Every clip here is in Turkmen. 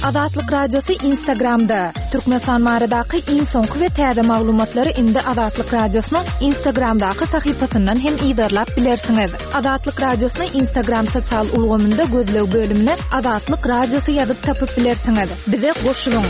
Azatlyk Radiosy Instagramda! Türkmenistan baradaky iň soňky we täze maglumatlary indi Azatlyk Radiosynyň Instagramdaky sahypasyndan hem yzarlap bilersiňiz. Azatlyk Radiosyny Instagram sosial ulgamynda gözleg bölümine Azatlyk Radiosy ýazyp tapyp bilersiňiz. Bize goşulyň!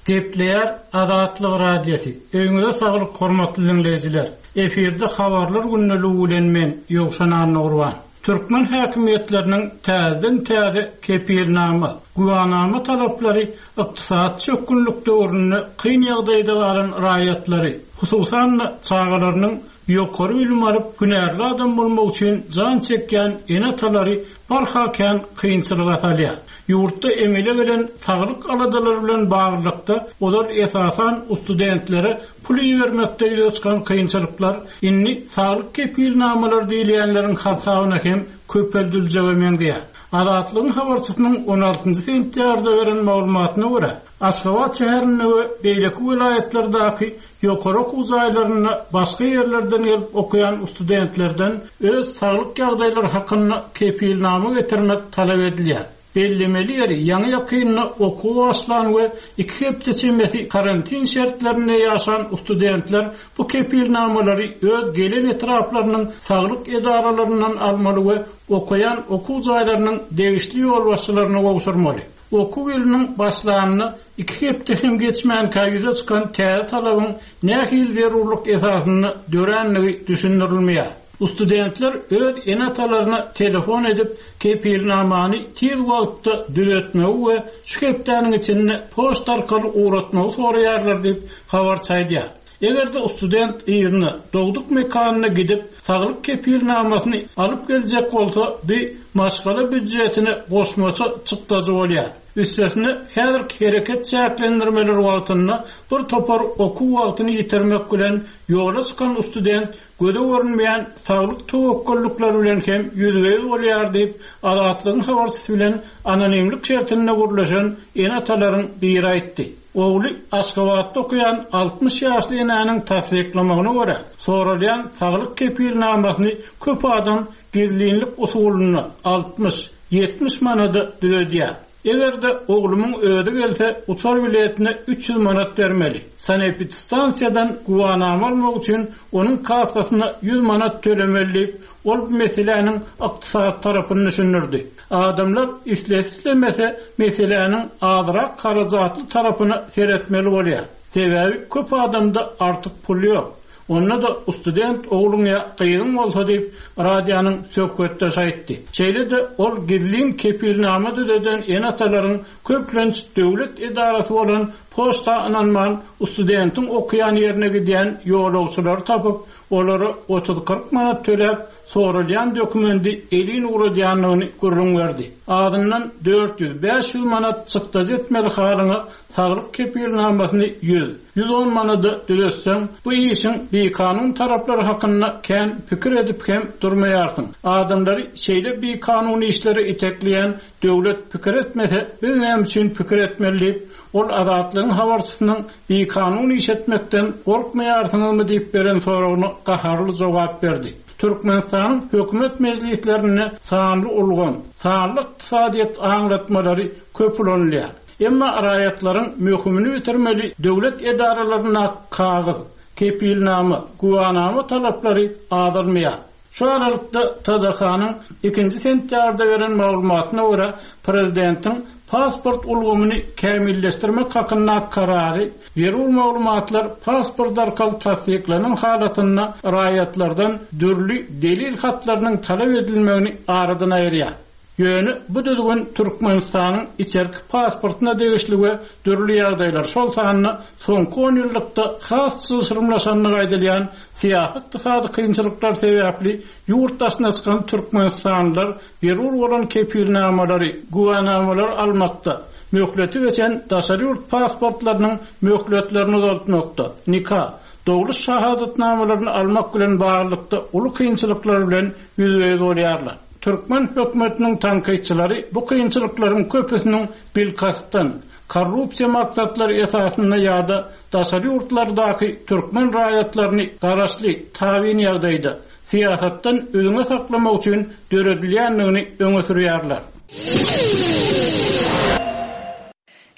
Gepleýär Azatlyk Radiosy, Öýüňize saglyk hormatly diňleýjiler! Efirde Habarlar gündeligi bilen men, Ýowşan Annagurban. Türkmen häkimiýetleriniň täzeden-täze kepilnama, güwanama talaplary ykdysady çökgünlik döwründe kyn ýagdaýda galan raýatlary, hususan-da, çagalarynyň ýokary bilim alyp, hünärli adam bolmagy üçin jan çekýän ene-atalary barha kän kynçylyga salýar. Ýurtda emele gelen saglyk aladalary bilen baglylykda, ozal esasan studentlere pul ibermekde ýüze çykan kynçylyklar indi saglyk kepilnamalary diýilýänleriň hasabyna hem köpeldiljege meňzeýär. Azatlygyň habarçysynyň on altynjy sentýabrda beren maglumatyna görä, Aşgabat şäherinde we beýleki welaýatlardaky ýokary okuw jaýlarynda başga ýerlerden gelip okaýan studentlerden öz saglyk ýagdaýlary hakynda kepilnama getirmek talap edilýär. Bellemeli ýeri, ýaňy-ýakynda okuwa başlan we iki hepde çemesi karantin şertlerinde ýaşan studentler bu kepilnamalary öz gelen etraplarynyň saglyk edaralaryndan almaly we okaýan okuw jaýlarynyň degişli ýolbaşçylaryna gowşurmaly. Okuw ýylynyň başlanyna iki hepde hem geçmänkä ýüze çykan täze talabyň nähili zerurlyk esasynda dörändigi düşündirilmeýär. Studentler öz ene-atalaryna telefon edip, kepilnamany tiz wagtda düzetmegi we şu hepdäniň içinde poçta arkaly ugratmagy soraýarlar diýip, habarçy aýdýar. Eger-de student yzyna, dogduk mekanyna gidip, saglyk kepilnamasyny alyp geljek bolsa, bu maşgala býudjetine goşmaça çykdajy bolýar. Üstesine, häzirki hereket çäklendirmeleri wagtynda bir topar okuw wagtyny ýitirmek bilen ýola çykan student göze görünmeýän saglyk töwekgellikleri bilen hem ýüzbe-ýüz bolýar diýip, Azatlygyň habarçysy bilen anonimlik şertinde gürleşen ene-atalaryň biri aýtdy. Ogly Aşgabatda okaýan 60 ýaşly enäniň tassyklamagyna görä, soralýan saglyk kepilnamasyny köp adam gizlinlik usulynda 60, 70 manada düzedýär. Eger-de oglumyň özi gelse, uçar biletine 300 manat bermeli. Sanepidstansiýadan güwanama almak üçin onuň kassasyna 100 manat tölemeli diýip, ol bu meseläniň ykdysady tarapyny düşündirdi. Adamlar islese-islemese meseläniň azrak harajatly tarapyna seretmeli bolýar. Sebäbi köp adamda artyk pul ýok. Onda-da student ogluň ýa gyzyň bolsa diýip, radionyň söhbetdeşi aýtdy. Şeýle-de ol gizlin kepilnama düzeden ene-atalaryň köplenç döwlet edarasy bolan poçta ynanman, studentiň okaýan ýerine gidýän ýolagçylary tapyp, olara otuz-kyrk manat töläp, soralýan dokumendi elin ugradýandygyny gürrüň berdi. Azyndan 400-500 manat çykdajy etmeli halyňa saglyk kepilnamasyny ýüz, 110 manada düzetseň, bu işiň bikanun taraplary hakynda kän pikir edip hem durmaýarsyň. Adamlary şeýle bikanun işlere itekleýän döwlet pikir etmese, biz näme üçin pikir etmeli diýip, ol Azatlygyň habarçysynyň Bikanun iş etmekden gorkmaýarsyňyzmy diýip beren soragyna gaharly jogap berdi. Türkmenistanyň hökümet mejlislerinde sanly ulgam, sanly ykdysadyýet aňlatmalary köp ulanylýar. Emma raýatlaryň möhümini bitirmeli döwlet edaralaryndaky kagyz, kepilnama, güwanama talaplary azalmaýar. Şu aralykda, TDH-nyň ikinji sentýabrda beren maglumatyna görä, prezidentiň pasport ulgamyny kämilleşdirmek hakynda karary zerur maglumatlar pasport arkaly tassyklanan halatynda raýatlardan dürli delil hatlarynyň talap edilmegini aradan aýyrýar. Ýöne bu düzgün Türkmenistanyň içerki pasportyna degişli we dürli ýagdaýlar, şol sanda soňky onýyllykda has çylşyrymlaşandygy aýdylýan syýasy-ykdysady kynçylyklar sebäpli ýurt daşyna çykan türkmenistanlylar zerur bolan kepilnamalary, güwänamalary almakda, möhleti geçen daşary ýurt pasportlarynyň möhletlerini uzaltmakda, nika, dogluş şahadatnamalaryny almak bilen baglylykda uly kynçylyklar bilen ýüzbe-ýüz bolýarlar. Türkmen hökümetiniň tankytçylary bu kynçylyklaryň köpüsiniň bilkastdan, korrupsiýa maksatlary esasynda ýa-da daşary ýurtlardaky türkmen raýatlaryny garaşly, tabyn ýagdaýda, syýasatdan üzňe saklamak üçin döredilýändigini öňe sürýärler.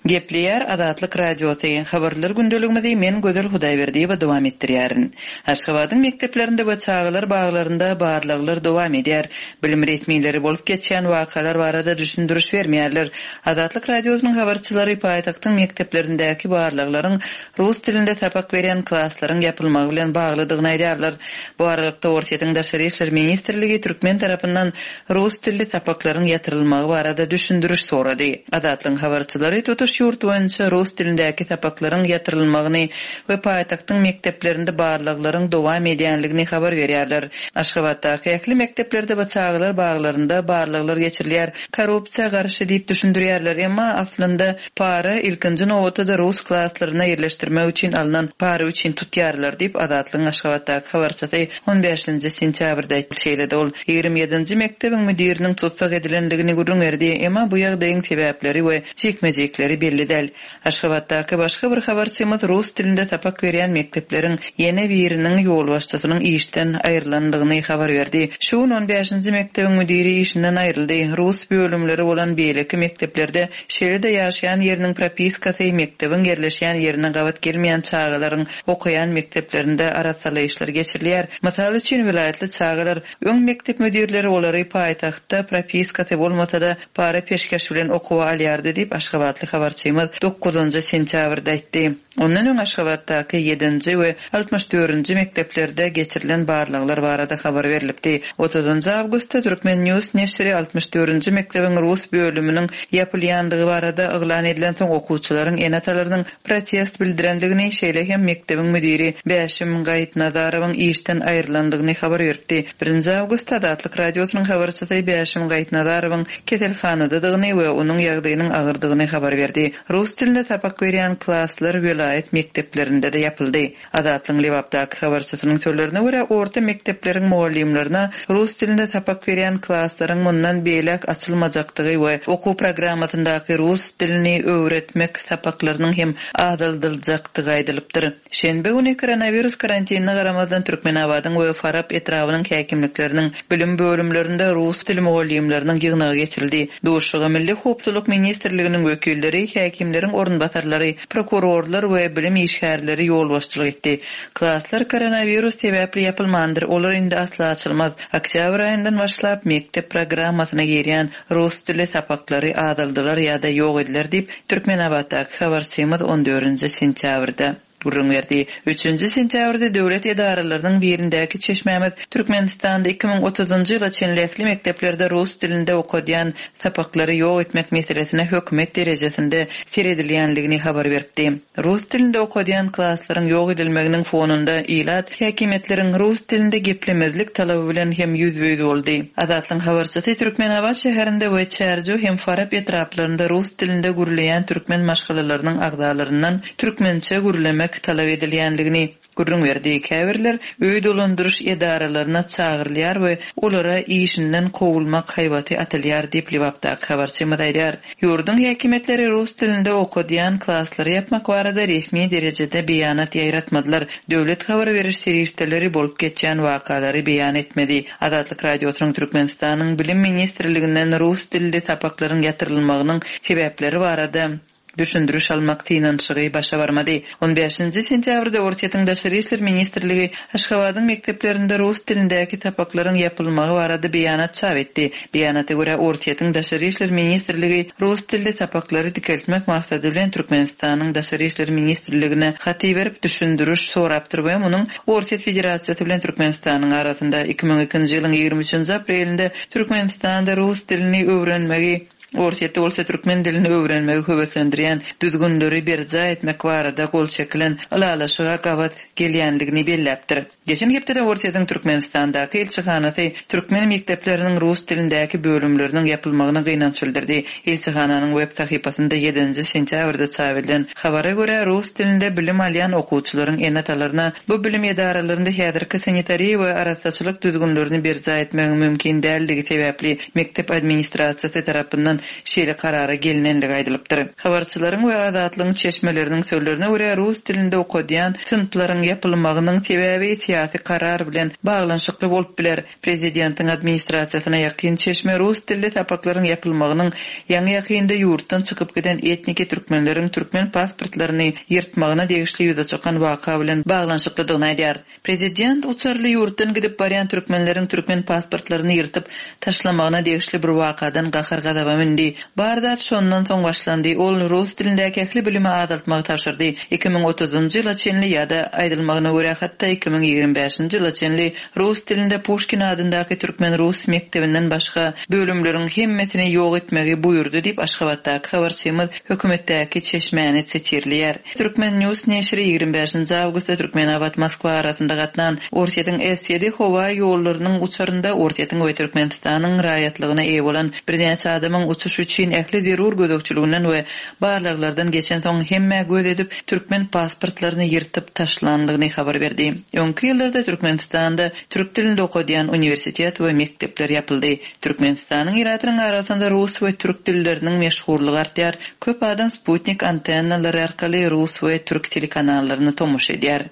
Gepleýär Azatlyk Radiosy, Habarlar gündeligimizi men Gözel Hudaýberdiýewa dowam etdirýärin. Aşgabadyň mekdeplerinde we çagalar baglarynda barlaglar dowam edýär. Bilim resmileri bolup geçýän wakalar barada düşündiriş bermeýärler. Azatlyk Radiosynyň habarçylary paýtagtyň mekdeplerindäki barlaglaryň rus dilinde sapak berýän klaslaryň ýapylmagy bilen baglydygyny aýdýarlar. Bu aralykda, Orsýetiň Daşary işler ministrligi türkmen tarapyndan rus dilli sapaklaryň ýatyrylmagy barada düşündiriş sorady. Azatlygyň habarçylary tutuş ýurt boýunça rus dilindäki sapaklaryň ýatyrylmagyny we paýtagtyň mekdeplerinde barlaglaryň dowam edýänligini habar berýärler. Aşgabatdaky ähli mekdeplerde we çagalar baglarynda barlaglar geçirilýär. Korrupsiýa garşy diýip düşündirýärler, emma aslynda para, ilkinji nobatda-da rus klaslaryna ýerleşdirmek üçin alnan para üçin tutýarlar diýip, Azatlygyň Aşgabatdaky habarçysy on bäşinji sentýabrda aýtdy. Şeýle-de ol 27 nji mekdebiň müdiriniň tussag edilendigini gürrüň berdi, emma bu ýagdaýyň sebäpleri we jikme-jikleri belli däl. Aşgabatdaky başga bir habarçymyz rus dilinde sapak berýän mekdepleriň ýene biriniň ýolbaşçysynyň işden aýrylandygyny habar berdi. Şu gün on bäşinji mekdebiň müdiri işinden aýryldy. Rus bölümleri bolan beýleki mekdeplerde, şeýle-de ýaşaýan ýeriniň propiskasy mekdebiň ýerleşýän ýerine gabat gelmeýän çagalaryň okaýan mekdeplerinde arassalaýyşlar geçirilýär. Mysal üçin, welaýatly çagalar Öň mekdep müdirleri olary paýtagtda propiskasy bolmasa-da, para-peşgeş bilen okuwa alýardy diýip, aşgabatly habarçymyz dokuzynjy sentýabrda aýtdy. Ondan öň Aşgabatdaky ýedinji we altmyş dördünji mekdeplerde geçirilen barlaglar barada habar berlipdi. Otuzynjy awgustda Turkmen. News neşiri altmyş dördünji mekdebiň rus bölüminiň ýapylýandygy barada yglan edilensoň okuwçylaryň ene-atalarynyň protest bildirendigini, şeýle hem mekdebiň müdiri Bäşim Gaýypnazarowyň işden aýrylandygyny habar beripdi. Birinji awgustda Azatlyk Radiosynyň habarçysy Bäşim Gaýypnazarowyň keselhanadadygyny we onuň ýagdaýynyň agyrdygyny habar berdi. Rus dilinde sapak berýän klaslar welaýat mekdeplerinde-de ýapyldy. Azatlygyň Lebapdaky habarçysynyň sözlerine görä, orta mekdepleriň mugallymlaryna rus dilinde sapak berýän klaslaryň mundan beýläk açylmajakdygy we okuw programmasyndaky rus dilini öwretmek sapaklarynyň hem azaldyljakdygy aýdylypdyr. Şenbe güni koronawirus karantinine garamazdan Türkmenabadyň we Farap etrabynyň häkimlikleriniň bilim bölümlerinde rus dili mugallymlarynyň ýygnagy geçirildi. Duşuşyga Milli howpsuzlyk ministrliginiň wekilleri, häkimleriň orunbasarlary, prokurorlar we bilim işgärleri ýolbaşçylyk etdi. Klaslar koronawirus sebäpli ýapylmandyr, olar indi asla açylmaz. Oktýabr aýyndan başlap, mekdep programmasyna girýän rus dili sapaklary azaldylar ýa-da ýok ediler diýip, Türkmenabatdaky habarçymyz on dördünji sentýabrda gürrüň berdi. Üçünji sentýabrda döwlet edaralarynyň birindäki çeşmämiz Türkmenistanda 2030-njy ýyla çenli ähli mekdeplerde rus dilinde okadýan sapaklary ýok etmek meselesine hökümet derejesinde seredilýänligini habar beripdi. Rus dilinde okadýan klaslaryň ýok edilmeginiň fonunda ilat häkimiýetleriň rus dilinde geplemezlik talaby bilen hem ýüzbe-ýüz boldy. Azatlygyň habarçysy Türkmenabat şäherinde we Çärjew hem Farap etraplarynda rus dilinde gürleýän türkmen maşgalalarynyň agzalaryndan türkmençe gürlemek talap edilýänligini gürrüň berdi. Käbirler öý dolandyryş edaralaryna çagyrylýar we olara işinden kowulmak haýbaty atylýar diýip, Lebapdaky habarçymyz aýdýar. Ýurduň häkimiýetleri rus dilinde okadýan klaslary ýapmak barada resmi derejede beýanat ýaýratmadylar. Döwlet habar beriş serişdeleri bolup geçýän wakalary beýan etmedi. Azatlyk Radiosynyň Türkmenistanyň Bilim ministrliginden rus dilli sapaklaryň ýatyrylmagynyň sebäpleri barada düşündiriş almak synanyşygy başa barmady. On bäşinji sentýabrda Orsýetiň Daşary işler ministrligi Aşgabadyň mekdeplerinde rus dilindäki sapaklaryň ýapylmagy barada beýanat çap etdi. Beýanata görä, Orsýetiň Daşary işler ministrligi rus dilli sapaklary dikeltmek maksady bilen Türkmenistanyň Daşary işler ministrligine hat iberip, düşündiriş sorapdyr we munuň Orsýet Federasiýasy bilen Türkmenistanyň arasynda 2002-nji ýylyň 23-nji aprelinde Türkmenistanda rus dilini öwrenmegi Orsýetde bolsa türkmen dilini öwrenmegi höweslendirýän düzgünleri berjaý etmek barada gol çekilen ylalaşyga gabat gelýändigini belläpdir. Geçen hepdede Orsýetiň Türkmenistandaky ilçihanasy türkmen mekdepleriniň rus dilindäki bölümleriniň ýapylmagyna gynanç bildirdi. Ilçihananyň web sahypasynda ýedinji sentýabrda çap edilen habara görä, rus dilinde bilim alýan okuwçylaryň ene-atalaryna bu bilim edaralarynda häzirki sanitariýa we arassaçylyk düzgünlerini berjaý etmegiň mümkin däldigi sebäpli mekdep administrasiýasy tarapyndan. şeýle karara gelinendigi aýdylypdyr. Habarçylaryň we Azatlygyň çeşmeleriniň sözlerine görä, rus dilinde okadýan synplaryň ýapylmagynyň sebäbi syýasy karar bilen baglanyşykly bolup biler. Prezidentiň administrasiýasyna ýakyn çeşme rus dilli sapaklaryň ýapylmagynyň ýaňy-ýakynda ýurtdan çykyp giden etniki türkmenleriň türkmen pasportlaryny ýyrtmagyna degişli ýüze çykan waka bilen baglanyşyklydygyny aýdýar. Prezident uçarly ýurtdan gidip barýan türkmenleriň türkmen pasportlaryny ýyrtyp taşlamagyna degişli bir wakadan gahar-gazaba mündi. Bar zat şondan soň başlandy. Ol rus dilindäki ähli bilimi azaltmagy tabşyrdy. 2030-njy ýyla çenli ýa-da, aýdylmagyna görä, hatda 2025-nji ýyla çenli Rus dilinde Puşkin adyndaky türkmen-rus mekdebinden başga bölümleriň hemmesini ýok etmegi buýurdy diýip, Aşgabatdaky habarçymyz hökümetdäki çeşmäni sitirleýär. Turkmen. News neşiri 25-nji awgustda Türkmenabat-Moskwa arasynda gatnan Orsýetiň S-ýedi howa ýollarynyň uçarynda Orsýetiň we Türkmenistanyň raýatlygyna eýe bolan birnäçe adamyň uçuş üçin ähli zerur gözegçiliginden we barlaglardan geçensoň hemmä göz edip türkmen pasportlaryny ýyrtyp taşlandygyny habar berdi. Öňki ýyllarda Türkmenistanda türk dilinde okadýan uniwersitet we mekdepler ýapyldy. Türkmenistanyň ilatynyň arasynda rus we türk dilleriniň meşhurlygy artýar. Köp adam sputnik antennalary arkaly rus we türk telekanallaryna tomaşa edýär.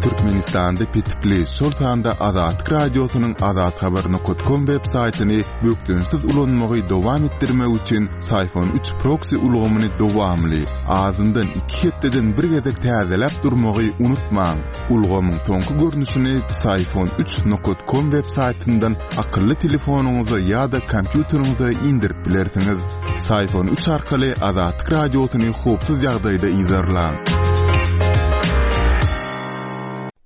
Türkmenistanda petikli, şol sanda Azatlyk Radiosynyň azathabar nokat kom web saýtyny bökdençsiz ulanmagy dowam etdirmek üçin Syphon 3 proksi ulgamyny dowamly, azyndan iki hepdeden bir gezek täzeläp durmagy unutmaň. Ulgamyň soňky görnüşini Syphon 3 nokat kom web saýtyndan akylly telefonyňyza ýa-da kompýuteriňize indirip bilersiňiz. Syphon 3 arkaly Azatlyk Radiosyny howpsuz ýagdaýda yzarlaň.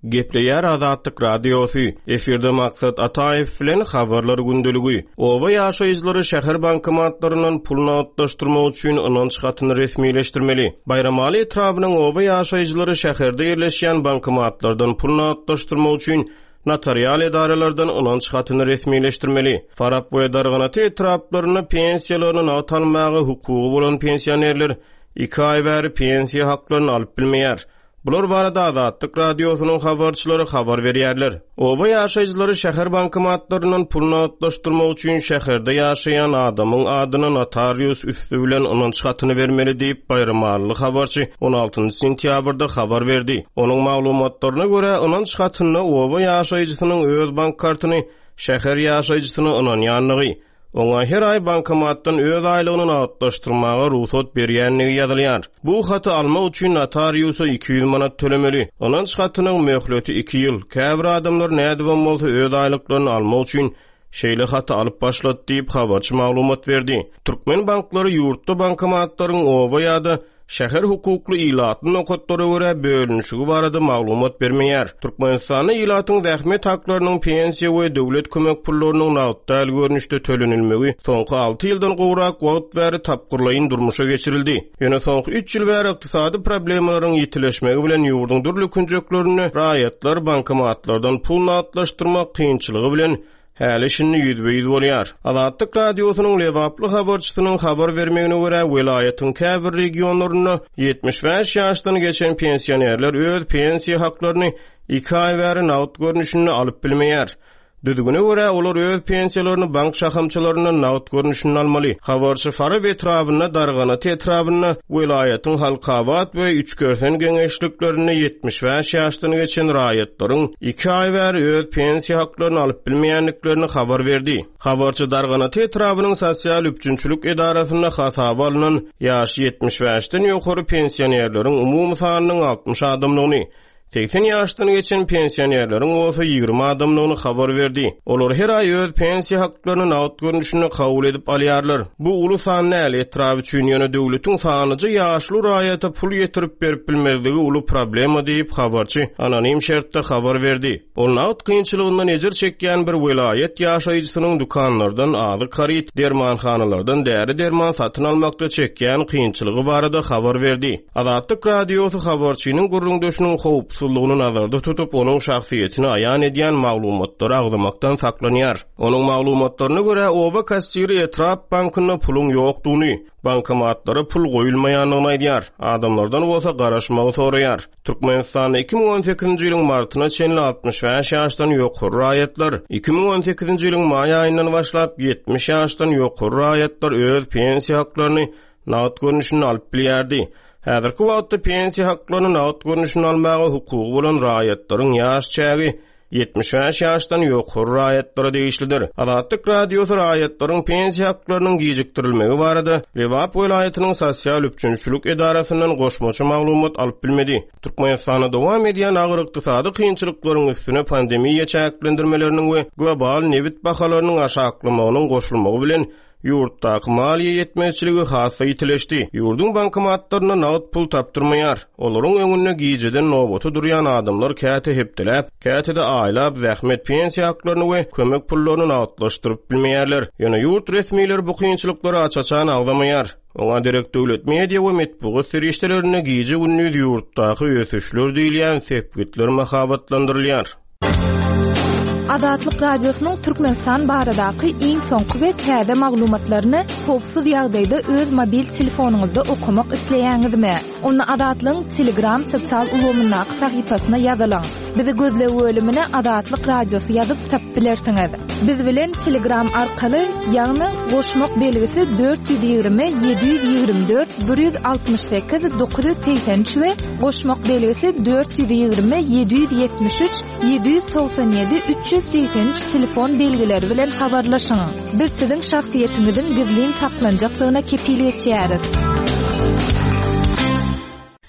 Gepleýär Azatlyk Radiosy, efirde Maksat Ataýew bilen Habarlar gündeligi. Oba ýaşaýjylary şäher bankomatlaryndan pul nagtlaşdyrmak üçin ynanç hatyny resmileşdirmeli. Baýramaly etrabynyň oba ýaşaýjylary şäherde ýerleşýän bankomatlardan pul nagtlaşdyrmak üçin notarial edaralardan ynanç hatyny resmileşdirmeli. Farap we Darganata etraplarynda pensiýalaryny nagt almaga hukugy bolan pensionerler iki aý bäri pensiýa haklaryny alyp bilmeýär. Bular barada Azatlyk Radiosynyň habarçylary habar berýärler. Oba ýaşaýjylary şäher bankomatlaryndan pul nagtlaşdyrmak üçin şäherde ýaşaýan adamyň adyna notarius üsti bilen ynanç hatyny bermeli diýip, baýramalyly habarçy 16 sentýabrda habar berdi. Onuň maglumatlaryna görä, ynanç hatynda oba ýaşaýjysynyň öz bank kartyny şäher ýaşaýjysyna ynanýandygy, Oňa her aý bankomatdan öz aýlygyny nagtlaşdyrmaga rugsat berýändigi ýazylýar. Bu haty almak üçin notariusa 200 manat tölemeli. Ynanç hatynyň möhleti iki ýyl. Käbir adamlar nädibem bolsa öz aýlyklaryny almak üçin şeýle haty alyp başlady diýip, habarçy maglumat berdi. Türkmen banklary ýurtda bankomatlaryň oba ýa-da Şäher hukukly ilatly nokatlara görä bölünişigi barada maglumat bermeýär. Türkmenistanda ilatyň zähmet haklarynyň pensiýa we döwlet kömek pullarynyň nagt däl görnüşde tölenilmegi soňky alty ýyldan gowrak wagt bäri tapgyrlaýyn durmuşa geçirildi. Ýöne soňky üç ýyl bäri ykdysady problemalaryň ýitileşmegi bilen ýurduň dürli künjeklerinde raýatlar bankomatlardan pul nagtlaşdyrmak kynçylygy bilen häli-şindi ýüzbe-ýüz bolýar. Azatlyk Radiosynyň lebaply habarçysynyň habar bermegine görä, welaýatyň käbir regionlarynda 75 ýaşdan geçen pensionerler öz pensiýa haklaryny iki aý bäri nagt görnüşinde alyp bilmeýär. Düzgüne görä, olar öz pensiýalaryny bank şahamçalaryndan nagt görnüşinde almaly. Habarçy Farap etrabynda, Darganata etrabynda, welaýatyň Halkabat we Üçkersen geňeşliklerinde 75 ýaşdan geçen raýatlaryň iki aý bäri öz pensiýa haklaryny alyp bilmeýändiklerini habar berdi. Habarçy Darganata etrabynyň sosial üpjünçilik edarasynda hasaba alnan ýaşy 75-den ýokary pensionerleriň umumy sanynyň 60 adamdygyny, 80 ýaşdan geçen pensionerleriň bolsa 20 adamdygyny habar berdi. Olar her aý öz pensiýa haklaryny nagt görnüşinde kabul edip alýarlar. Bu uly san däl etrap üçin, ýöne döwletiň sanlyja ýaşuly raýata pul ýetirip berip bilmezligi uly problema diýip, habarçy anonim şertde habar berdi. Ol nagt kynçylygyndan ejir çekýän bir welaýat ýaşaýjysynyň dükanlardan azyk haryt, dermanhanalardan däri-derman satyn almakda çekýän kynçylygy barada habar berdi. Azatlyk Radiosy habarçynyň gürrüňdeşiniň howpsuz. howpsuzlygyny nazarda tutup, onuň şahsyýetini aýan edýän maglumatlary agzamakdan saklanýar. Onuň maglumatlaryna görä, oba kassiri etrap bankynda puluň ýokdugyny, bankomatlara pul goýulmaýandygyny aýdýar, adamlardan bolsa garaşmagy soraýar. Türkmenistanda 2018-nji ýylyň martyna çenli 65 ýaşdan ýokary raýatlar, 2018-nji ýylyň maý aýyndan başlap 70 ýaşdan ýokary raýatlar öz pensiýa haklaryny nagt görnüşinde alyp bilýärdi. Häzirki wagtda pensiýa haklaryny nagt görnüşinde almaga hukugy bolan raýatlaryň ýaş çägi 75 ýaşdan ýokary raýatlara degişlidir. Azatlyk Radiosy raýatlaryň pensiýa haklarynyň gijikdirilmegi barada Lebap welaýatynyň sosial üpjünçilik edarasyndan goşmaça maglumat alyp bilmedi. Türkmenistanda dowam edýän agyr ykdysady kynçylyklaryň üstüne pandemiýa çäklendirmeleriniň we global nebit bahalarynyň aşaklamagynyň goşulmagy bilen Ýurtdaky maliýe ýetmezçiligi has-da ýitileşdi. Ýurduň bankomatlarynda nagt pul tapdyrmaýar. Olaryň öňünde gijeden nobata durýan adamlar käte hepdeläp, käte-de aýlap zähmet pensiýa haklaryny we kömek pullaryny nagtlaşdyryp bilmeýärler. Ýöne ýurt resmileri bu kynçylyklary aç-açan agzamaýar. Oňa derek döwlet media we metbugat serişdelerinde gije-gündiz ýurtdaky ösüşler diýilýän sepgitler mahabatlandyrylýar. Azatlyk Radiosynyň Türkmenistan baradaky iň soňky we täze maglumatlaryny howpsuz ýagdaýda öz mobil telefonyňyzda okamak isleýäňizmi? Onda Azatlygyň Telegram sosial ulgamyndaky sahypasyna ýazylyň. Bizi gözleg bölümine Azatlyk Radiosy ýazyp tapyp bilersiňiz. Biz bilen Telegram arkaly, ýagny goşmak belgisi 420 724 168 983 we Goşmak belgisi 420 773 797 383 telefon belgileri bilen habarlaşyň. Biz siziň şahsyýetiňiziň gizlin saklanjakdygyna kepil geçýäris.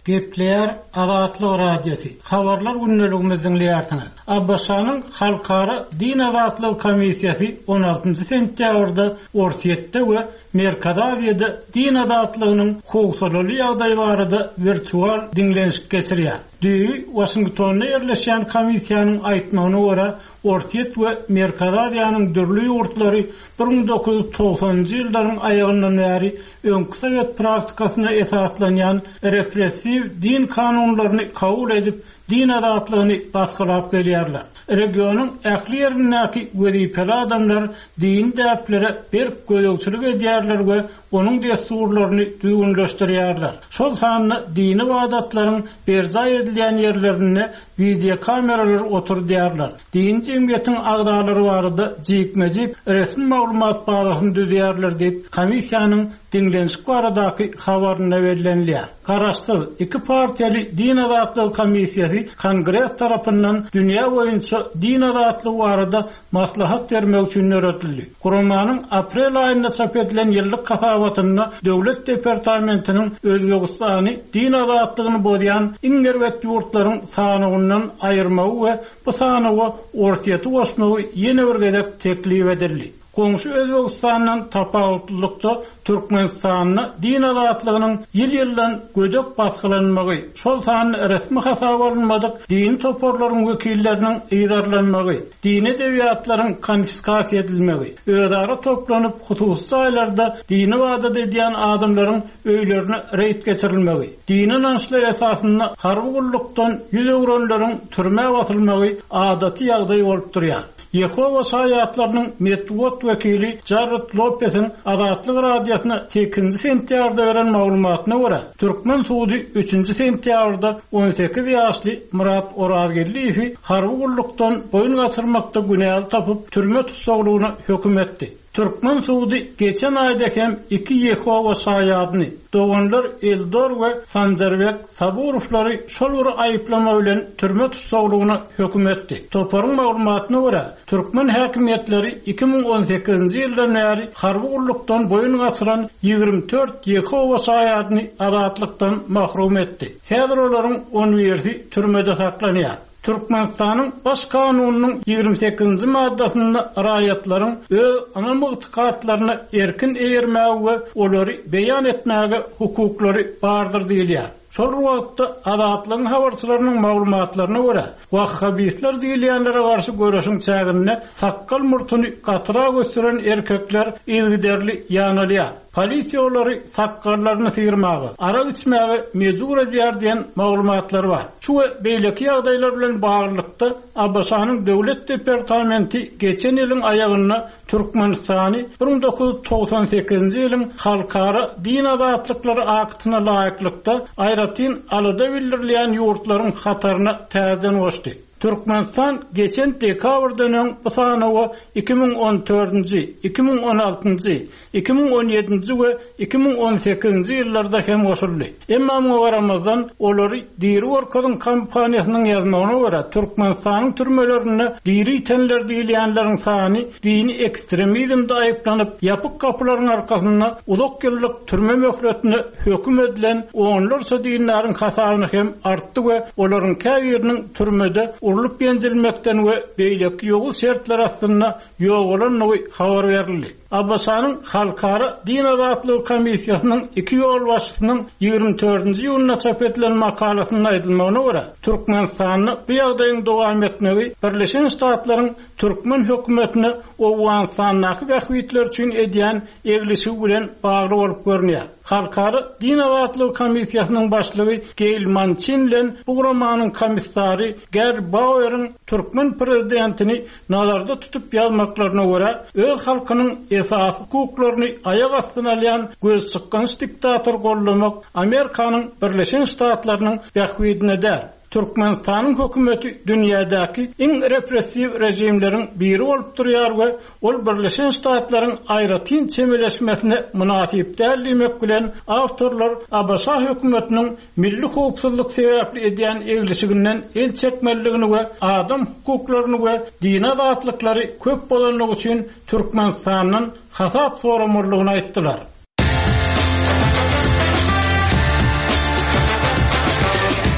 Gepleýär Azatlyk Radiosy. Habarlar gündeligimizi diňleýärsiňiz. ABŞ-nyň Halkara din azatlygy komissiýasy on altynjy sentýabrda Orsýetde we Merkezi Aziýada din azatlygynyň howsalaly ýagdaýy barada wirtual diňlenişik geçirýär. Düýbi Waşingtonda ýerleşýän komissiýanyň aýtmagyna görä, Orsýet we Merkezi Aziýanyň dürli ýurtlary 1990-njy ýyllaryň aýagyndan bäri öňki sowet praktikasyna esaslanýan repressiw din kanunlaryny kabul edip, din azatlygyny basgylap gelýärler. Regionyň ähli ýerindäki wezipeli adamlar dini däplere berk gözegçilik edýärler we onuň dessurlaryny düzgünleşdirýärler. Şol sanda dini ybadatlaryň berjaý edilýän ýerlerinde wideokameralar oturdýarlar. Dini jemgyýetiň agzalary barada jikme-jik resmi maglumat bazasyny düzýärler diýip, komissiýanyň diňlenişik baradaky habarynda bellenilýär. Garaşsyz, iki partiýaly Din azatlygy komissiýasy Kongres tarapyndan dünýä boýunça din azatlygy barada maslahat bermek üçin döredildi. Guramanyň aprel aýynda çap edilen ýyllyk hasabatynda Döwlet departamentiniň Özbegistany din azatlygyny bozýan iň erbet ýurtlaryň sanawyndan aýyrmagy we bu sanawa Orsýeti goşmagy ýene bir gezek teklip edildi. Goňşy Özbegistandan tapawutlylykda Türkmenistanda din azatlygynyň ýyl-ýyldan gödek basgylanmagy, şol sanda resmi hasaba alynmadyk dini toparlaryň wekilleriniň yzarlanmagy, dini edebiýatlaryň konfiskasiýa edilmegi, özara toplanyp hususy jaýlarda dini ybadat edýän adamlaryň öýlerine reýd geçirilmegi, dini ynançlar esasynda harby gullukdan ýüz öwrenleriň türmä basylmagy adaty ýagdaý bolup durýar. Ýehowa Şaýatlarynyň metbugat wekili Jarred Lopesiň Azatlyk Radiosyna sekizinji sentýabrda beren maglumatyna görä, türkmen sudy üçünji sentýabrda 18 ýaşly Myrat Orazgeldiýewi harby gullukdan boýun gaçyrmakda günäli tapyp, türme tussaglygyna höküm etdi. Türkmen sudy geçen aýda hem iki Ýehowa Şaýadyny, doganlar Eldor we Sanjarbek Saburowlary şol bir aýyplama bilen türme tussaglygyna höküm etdi. Toparyň maglumatyna görä, türkmen häkimiýetleri 2018-nji ýyldan bäri harby gullukdan boýun gaçyran 24 Ýehowa Şaýadyny azatlykdan mahrum etdi. Häzir olaryň on birisi türmede saklanýar. Türkmenistanyň Baş Kanunynyň 28-nji maddasynda raýatlaryň öz ynam-ygtykatlaryna erkin eýermäge we olary beýan etmäge hukuklary bardyr diýilýär. Şol bir wagtda, Azatlygyň habarçylarynyň maglumatlaryna görä, wahhabistler diýilýänlere garşy göreşiň çäginde sakgal-murtuny gatyrak ösdüren erkekler yzygiderli ýanalýar. Polisiýa olary sakgallaryny syrmaga, arak içmäge mejbur edýär diýen maglumatlar bar. Şu we beýleki ýagdaýlar bilen baglylykda, ABŞ-nyň Döwlet departamenti geçen ýylyň aýagynda Türkmenistany 1998-nji ýylyň Halkara din azatlyklary aktyna laýyklykda aýratyn alada bildirilýän ýurtlaryň hataryna täzeden goşdy. Türkmenistan geçen dekabrdan öň bu sanawa 2014-nji, 2016-njy, 2017-nji we 2018-nji ýyllarda hem goşuldy. Emma muňa garamazdan, olary diri görkeziň kampaniýasynyň ýazmagyna görä, Türkmenistanyň türmelerinde diri ýitenler diýilýänleriň sany dini ekstremizmde aýyplanyp, ýapyk gapylaryň arkasynda uzak ýyllyk türme möhletine höküm edilen onlarça dindaryň hasabyna hem artdy we olaryň käbiriniň türmede urlup-ýenjilmekden we beýleki ýowuz şertler astynda ýogalandygy habar berildi. ABŞ-nyň Halkara din azatlygy komissiýasynyň iki ýolbaşçysynyň 24-nji iýunda çap edilen makalasynda aýdylmagyna görä, Türkmenistanda bu ýagdaýyň dowam etmegi Birleşen Ştatlaryň türkmen hökümetine Owganystandaky bähbitleri üçin edýän eglişigi bilen bagly bolup görünýär. Halkara din azatlygy komissiýasynyň başlygy Geýl Mançin bilen bu guramanyň komissary Garri Baueriň türkmen prezidentini nazarda tutup ýazmaklaryna görä, öz halkynyň esasy hukuklaryny aýak astyna alýan gözçykgynç diktatory goldamak Amerikanyň Birleşen Ştatlarynyň bähbidine däl. Türkmenistanyň hökümeti dünýädäki iň repressiw režimleriň biri bolup durýar we ol Birleşen Ştatlaryň aýratyn çemeleşmesine mynasyp däl diýmek bilen, awtorlar ABŞ hökümetiniň milli howpsuzlyk sebäpli edýän eglişiginden el çekmelidigini we adam hukuklaryny we dini azatlyklary köp bozandygy üçin Türkmenistandan hasap soramalydygyny aýtdylar.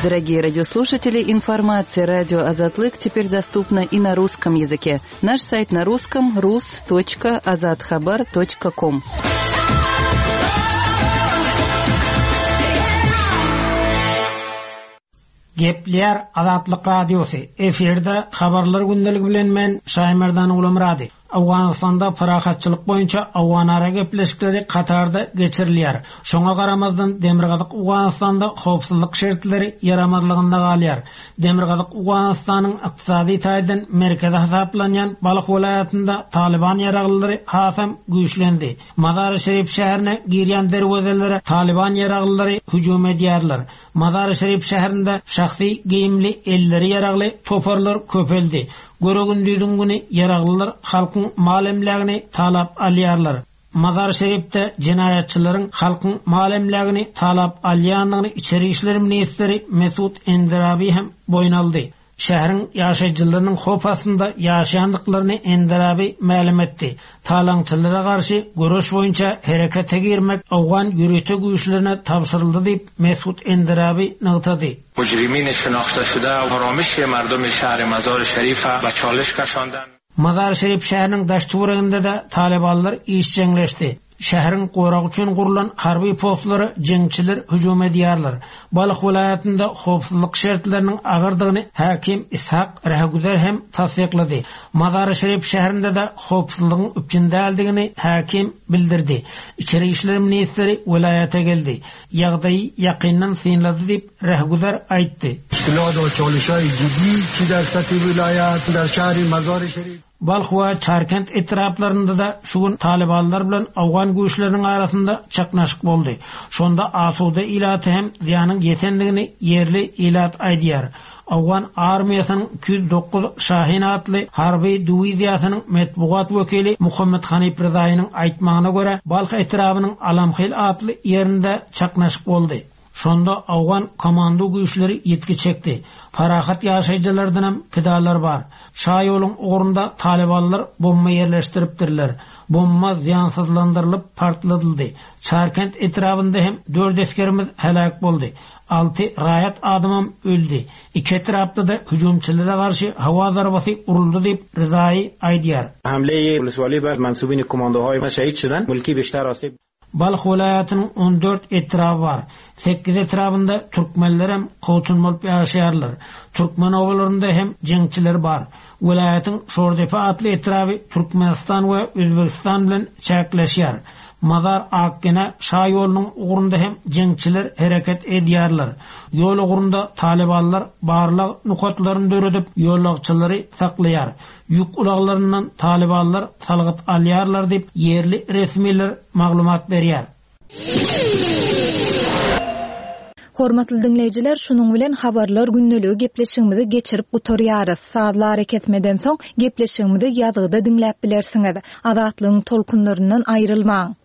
Дорогие радиослушатели, информация радио Азатлык теперь доступна и на русском языке. Наш сайт на русском rus.azathabar.com. Gepleýär Azatlyk Radiosy, efirde Habarlar gündeligi bilen men Şaýmerdan Gulamyrady. Owganystanda parahatçylyk boýunça owganara gepleşikleri Katarda geçirilýär. Şoňa garamazdan Demirgazyk Owganystanda howpsuzlyk şertleri ýaramazlygynda galýar. Demirgazyk Owganystanyň ykdysady taýdan merkezi hasaplanýan Balh welaýatynda Talyban ýaraglylary hasam güýçlendi. Mazary-Şerif şäherine girýän derwezelere Talyban ýaraglylary hüjüm edýärler. Mazary-Şerif şäherinde şahsy geýimli, elleri ýaragly toparlar köpeldi. Göre-gündiziň güni ýaraglylar halkyň mal-emlägini talap alýarlar. Mazary-Şerifde jenaýatçylaryň halkyň mal-emlägini talap alýandygyny içeri işler ministri Mesut Enderabi hem boýun aldy. Şäheriň ýaşaýjylarynyň howp astynda ýaşaýandyklaryny Enderabi mälim etdi. Talaňçylara garşy göreş boýunça herekete girmek owgan ýörite güýçlerine tabşyryldy diýip, Mesut Enderabi nygtady. Mujrimin şenahte şude aramiş merdum şähri Mazar-i Şerife be çaliş keşanden. Mazar-i Şerif şäheriniň daş-töwereginde-de talybanlar işjeňleşdi. Şäheriň goragy üçin gurlan harby postlara jeňçiler hüjüm edýärler. Balh welaýatynda howpsuzlyk şertleriniň agyrdygyny häkim Ishak Rehgüzer hem tassyklady. Mazary-Şerif şäherinde-de howpsuzlygyň üpjün däldigini häkim bildirdi. Içeri işler ministri welaýata geldi. Ýagdaýy ýakyndan synlady diýip, Rehgüzer aýtdy. Balh we Çarkent etraplarynda-da şu gün talybanlar bilen owgan güýçleriniň arasynda çaknaşyk boldy. Şonda asuda ilata hem zyýanyň ýetendigini ýerli ilat aýdýar. Owgan armiýasynyň 209 Şahin atly harby diwiziýasynyň metbugat wekili Muhammet Hanif Ryzaýynyň aýtmagyna görä, Balh etrabynyň Alamhil atly ýerinde çaknaşyk boldy. Şonda owgan komando güýçleri ýitgi çekdi. Parahat ýaşaýjylardanam pidalar bar. Şaýoluň ugrunda talybanlar bomba ýerleşdiripdirler. Bomba zyýansyzlandyrylyp partladyldy. Çarkent etrabynda hem dört esgerimiz heläk boldy. Alty raýat adamam öldi. Iki etrapda-da hüjümçilere garşy howa zarbasy uruldy diýip, Ryzaýy aýdýar. Hamle-ye woleswali bar mansubin komandohay ma şehid şudan, mulki biştar asib. Balh welaýatynyň 14 etraby bar. Sekiz etrabynda türkmenlerem kowçum bolup ýaşaýarlar. Türkmen obalarynda hem jeňçiler bar. Welaýatyň Şordepe atly etraby Türkmenistan we Özbegistan bilen çäkleşýär. Mazar-Akgene şa ýolunyň ugrunda hem jeňçiler hereket edýärler. Ýol ugrunda talybanlar barlag nokatlaryny döredip, ýolagçylary saklaýar. Ýük ulaglaryndan talybanlar salgyt alýarlar diýip, ýerli resmiler maglumat berýär. Hormatly diňleýjiler, şunuň bilen Habarlar gündeligi gepleşigimizi geçirip gutarýarys. Sazly arakesmeden soň gepleşigimizi ýazgyda diňläp bilersiňiz. Azatlygyň tolkunlaryndan aýrylmaň!